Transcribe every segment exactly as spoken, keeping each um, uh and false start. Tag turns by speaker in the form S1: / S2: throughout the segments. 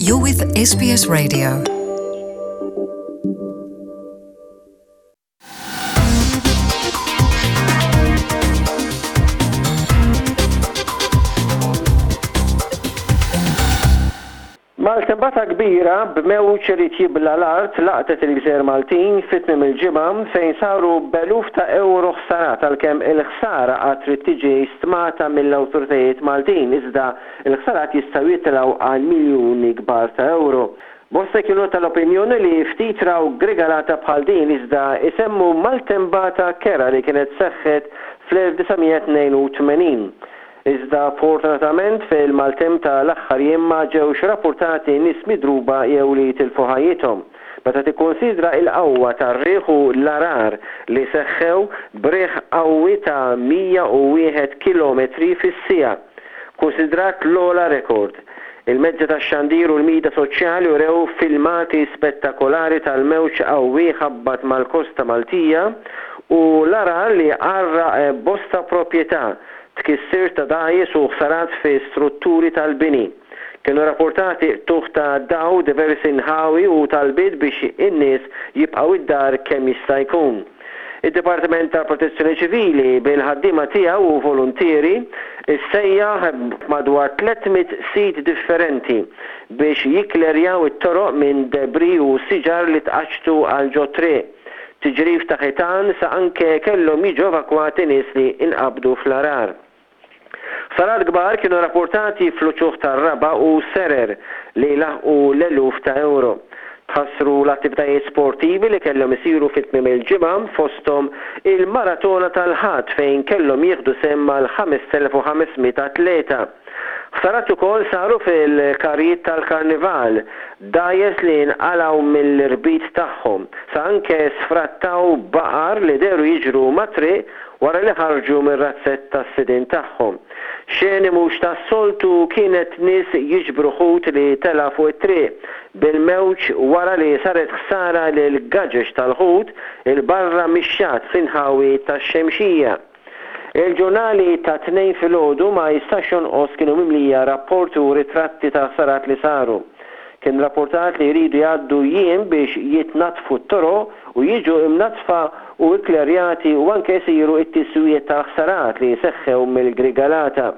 S1: You're with S B S Radio.
S2: Maltempata kbira b'mewġ irid jibla l-art laqtet il-Gżejjer Maltin fit-tmiem il-ġimgħa, fejn saru b'eluf ta' euro ħsarat, għalkemm il-ħsara għad trid tiġi stmata mill-awtoritajiet Maltin, iżda il-ħsarat jistgħu jitilgħu għal miljuni kbar ta' euro. Bosta kienu tal-opinjoni li ftit raw grigalata bħal din, iżda isemmu maltempata kerha li kienet seħħet fl-elf disa' mija tnejn u tmenin. Iżda fortunatament fil-maltemp ta' l-aħħar jiem ma ġewx rapportati nies midruba jew li tilfu ħajjithom. Meta tikkonsidra il-qawwa tar-riħ u l-għargħar li seħħew b'riħ qawwi ta' mija u wieħed kilometru fis-siegħa, konsidrat l-ogħla rekord. Il-mezzi tax-xandir u l-midja soċjali urew filmati spettakolari tal-mewġ qawwi ħabbat mal-kosta Maltija u l-għargħar li għarraq bosta proprjetà, tkissir ta' dgħajjes u ħsarat fi strutturi tal-bini. Kienu rapportati qtugħ ta' dawl diversi nħawi u talbiet biex in-nies jibqgħu id-dar kemm jista' jkun. Id-Dipartiment tal Protezzjoni Ċivili bil-ħaddiema tiegħu u volontieri issejjaħ madwar tliet mitt sit differenti biex jikklerjaw it-toroq minn debris u siġar li tqaċċtu għal ġo triq. Tiġrif ta' ħitan, sa anke kellhom jiġu evakwati nies li inqabdu fl-għargħar. Ħsarat kbar kienu rapportati fl-uċuħ tar-raba' u serer li laħqu l-eluf ta' euro. Tħassru l-attivitajiet sportivi li kellhom isiru fit-tmiem il-ġimgħa, fosthom il-maratona tal-Ħadd fejn kellhom jieħdu sehem mal-ħamest elef u ħames mitt atleta. Ħsarat ukoll saru fil-karrijiet tal-karnival, dgħajjes li nqalgħu mill-irbit tagħhom, sa anke sfrattaw baqar li dehru jiġru mat-triq wara li ħarġu mir-razzett tas-sidin tagħhom. Xeni mhux tas-soltu kienet nies jiġbru ħut li tela fuq it-triq bil-mewġ wara li saret ħsara lil gaġeġ tal-ħut 'il barra mix-xatt fl-inħawi tax-Xemxija. Il-ġurnali tat-Tnejn filgħodu ma jistax jonqos kienu mimlija rapporti u ritratti ta' ħsarat li saru. Kien rapportat li jridu jgħaddu jiem biex jitnatfu t-toroq u jiġu imnatfa u ikklerjati u anke jsiru it-tiswijiet tal-ħsarat li seħħew mill-grigalata.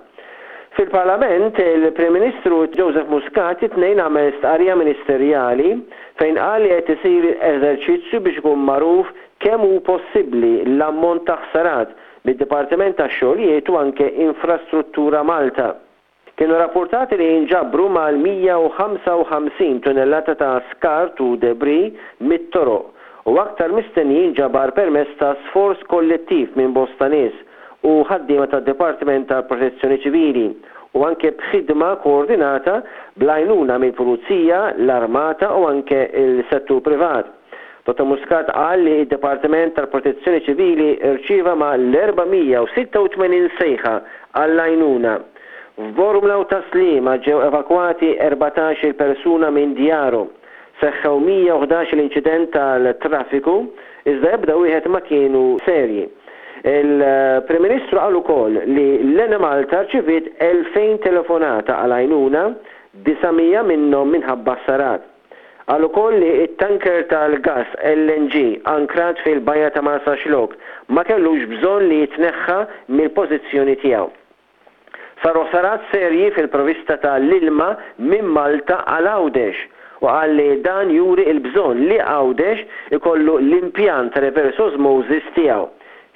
S2: Fil-Parlament, il-Prim Ministru Joseph Muscat it-Tnejn għamel stqarrija ministerjali fejn qal li qed isir eżerċizzju biex ikun magħruf kemm hu possibbli l-ammont ta' ħsarat mid-Dipartiment tax-Xogħlijiet u anke Infrastruttura Malta. Kienu rapportati li jinġabru mal-mija u ħamsa u ħamsin tunnellata ta' skart u debris mit-toroq u aktar mistenni jinġabar permezz ta' sforz kollettiv minn bosta nies u ħaddiema tad-Dipartiment tal-Protezzjoni Ċivili u anke b'ħidma koordinata bl-għajnuna mill-Pulizija, l-Armata u anke il-settur privat. Dottor Muscat qal li id-Dipartiment tal-Protezzjoni Ċivili rċieva mal-erba' mija u sitta u tmenin sejħa għall-għajnuna. F'Bormla u Tas-Sliema ġew evakwati erbatax-il persuna minn djarhom. Seħħew mija u ħdax l-inċident tal-traffiku, iżda ebda wieħed ma kienu serji. Il-Prim Ministru qal ukoll li l-Enemalta rċiviet elfejn telefonata għal għajnuna, disa' mija minnhom minħabba ħsarat. Qal ukoll li it-tanker tal-gas L N G ankrat fil-bajja ta' Marsaxlokk ma kellux bżonn li jitneħħa mill-pożizzjoni tiegħu. Saru ħsarat serji fil-provista tal-ilma minn Malta għal Għawdex u qal li dan juri il-bżonn li Għawdex ikollu l-impjant reverse osmosis tiegħu.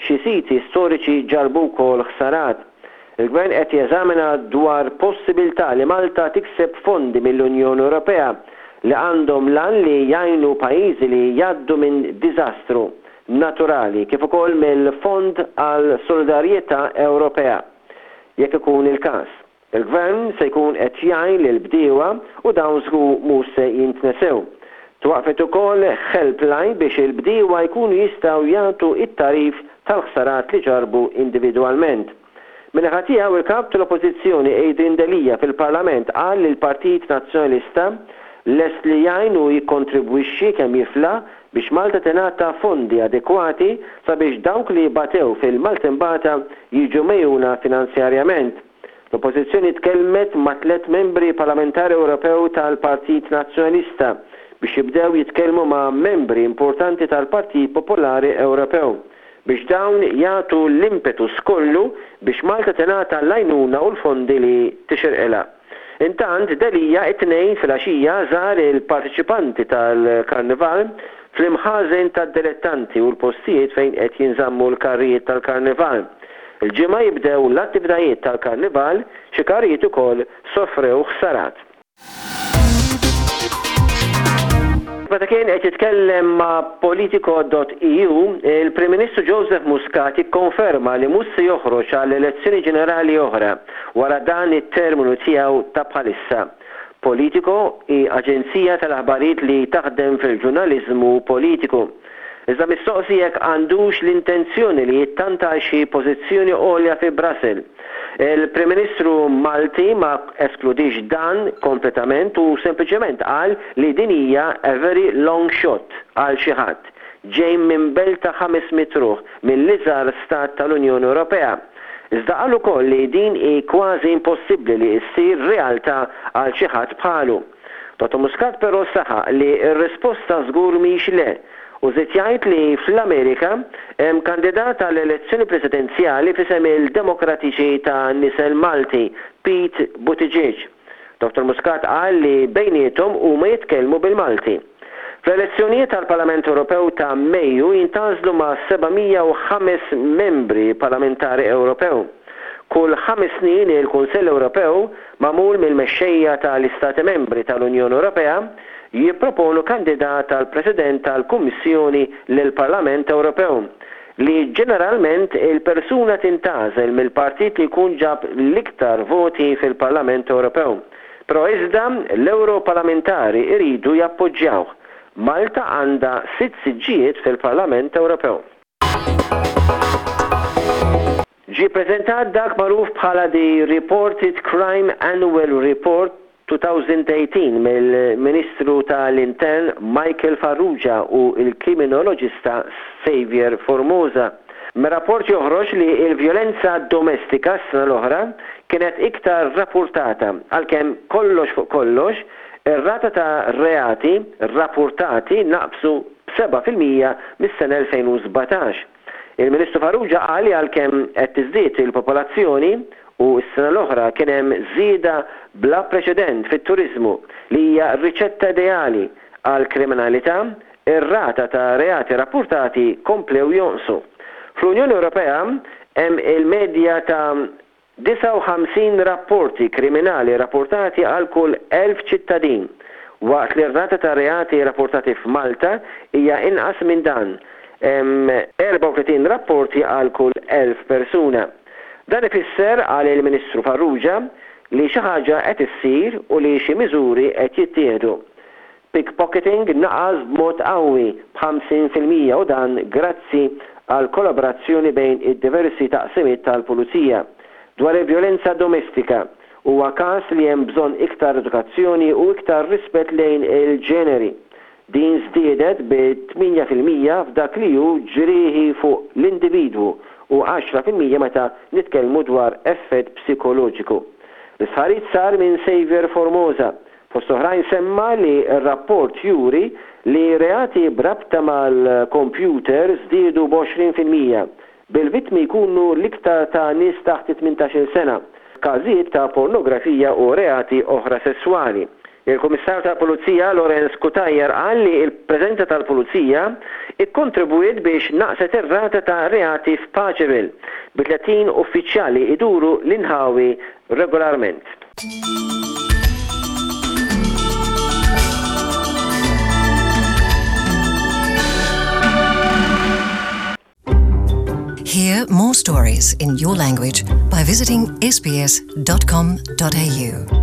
S2: Xi siti storiċi ġarbu wkoll ħsarat. Il-Gvern qed jeżamina dwar possibilità li Malta tikseb fondi mill-Unjoni Ewropea li għandhom l-għan li jgħinu pajjiżi li jgħaddu minn diżastru naturali, kif ukoll mill-Fond għal Solidarjetà Ewropea. Jekk ikun il-każ, il-Gvern se jkun qed jgħin lil bdiewa u dawn żgur mhux se jintnesew. Twaqfet ukoll helpline biex il-bdiewa jkunu jistgħu jagħtu it-tagħrif tal-ħsarat li ġarbu individwalment. Min-naħa tiegħu, il-kap tal-Oppożizzjoni Adrian Delia fil-Parlament qal li l-Partit Nazzjonalista lest li jgħin u jikkontribwixxi kemm jiflaħ biex Malta tingħata fondi adekwati sabiex dawk li batew fil-maltempata jiġu megħjuna finanzjarjament. L-Oppożizzjoni tkellmet ma' tliet membri parlamentari Ewropew tal-Partit Nazzjonalista biex jibdew jitkellmu ma' membri importanti tal-Partit Popolari Ewropew biex dawn jagħtu l-impetus kollu biex Malta tingħata l-għajnuna u l-fondi li tixirqilha. Intant, Delia it-Tnejn filgħaxija żar il-partiċipanti tal-Karnival fl-imħażen tad-dilettanti u l-postijiet fejn qed jinżammu l-karrijiet tal-Karnival. Il-Ġimgħa jibdew l-attivitajiet tal-Karnival, xi karrijiet ukoll sofrew ħsarat. Meta kien qed jitkellem ma' Politico dot E U, il-Prim Ministru Joseph Muscat ikkonferma li mhux se joħroġ għal elezzjoni ġenerali oħra wara dan it-terminu tiegħu ta' bħalissa. Politico hi aġenzija tal-aħbarijiet li taħdem fil-ġurnaliżmu politiku. Iżda mistoqsi jekk għandux l-intenzjoni li jittanta xi pożizzjoni għolja fi Brussels, il-Prim Ministru Malti ma eskludix dan kompletament u sempliċement qal li din hija a very long shot għal xi ħadd ġej minn belt ta' ħames mitt ruħ mill-iżgħar stat tal-Unjoni Ewropea. Iżda qal ukoll li din hi kważi impossibbli li ssir realtà għal xi ħadd bħalu. Dottor Muscat però saħaq li r-risposta żgur mhix le u żied jgħid li fl-Amerika hemm kandidat għall elezzjoni presidenzjali f'isem il-Demokratiċi ta' nisel Malti, Pete Buttigieg. Dottor Muscat qal li bejniethom huma jitkellmu bil-Malti. Fl-elezzjonijiet tal-Parlament Ewropew ta' Mejju jintgħażlu ma' seba' mija u ħames membri parlamentari Ewropew. Kull ħames snin il-Kunsell Ewropew, magħmul mill-mexxejja tal-Istati Membri tal-Unjoni Ewropea, jipproponu kandidat tal-President tal-Kummissjoni lill-Parlament Ewropew, li ġeneralment il-persuna tintgħażel mill-partit li jkun ġab l-iktar voti fil-Parlament Ewropew. Però iżda l-Europarlamentari iridu jappoġġjawh. Malta għandha sitt siġġijiet fil-Parlament Ewropew. Ġie preżentat dak magħruf bħala The Reported Crime Annual Report elfejn u tmintax mill-Ministru tal-Intern Michael Farrugia u il-kriminoloġista Xavier Formosa. Mir-rapport joħroġ li il-vjolenza domestika s-sena l-oħra kienet iktar rapportata, għalkemm kollox fuq kollox ir-rata ta' reati rapportati naqsu b'sebgħa fil-mija mis-sena elfejn u sbatax. Il-Ministru Farrugia qal li għalkemm qed tiżdied il-popolazzjoni u s-sena l-oħra kien hemm żieda bla preċedent fit-turizmu, li hija riċetta ideali għal kriminalità, ir-rata ta' reati rapportati komplew jonqsu. Fl-Unjoni Ewropea hemm il-medja ta' disgħa u ħamsin rapporti kriminali rapportati għal kull elf ċittadin, waqt li r-rata ta' reati rapportati f'Malta hija inqas minn dan, hemm erbgħa u tletin rapporti għal kull elf persuna. Dan ifisser, qal il-Ministru Farrugia, li xi ħaġa qed issir u li xi miżuri qed jittieħdu. Pickpocketing naqas b'mod qawwi b'ħamsin fil-mija u dan grazzi għal kollaborazzjoni bejn id-diversi taqsimiet tal-Pulizija. Dwar il-vjolenza domestika, huwa każ li hemm bżonn iktar edukazzjoni u iktar rispett lejn il-ġeneri. Din żdiedet bi tmienja fil-mija f'dak li hu ġrieħi fuq l-individwu u għaxra fil-mija meta nitkellmu dwar effett psikoloġiku. L-istħarriġ sar minn Xavier Formosa. Fost oħrajn semma li r-rapport juri li reati b'rabta mal-computer żdiedu b'għoxrin fil-mija, bil-vittmi jkunu l-iktar ta' nies taħt tmintax-il sena, każijiet ta' pornografija u reati oħra sessuali. Il-Kummissarju tal-Pulizija Lawrence Cutajar qal li il-preżenza tal-Pulizija ikkontribwiet biex naqset ir-rata ta' reati f'Paceville, bi tletin uffiċjali iduru l-inħawi regolarment.
S1: Hear more stories in your language by visiting S B S dot com dot A U.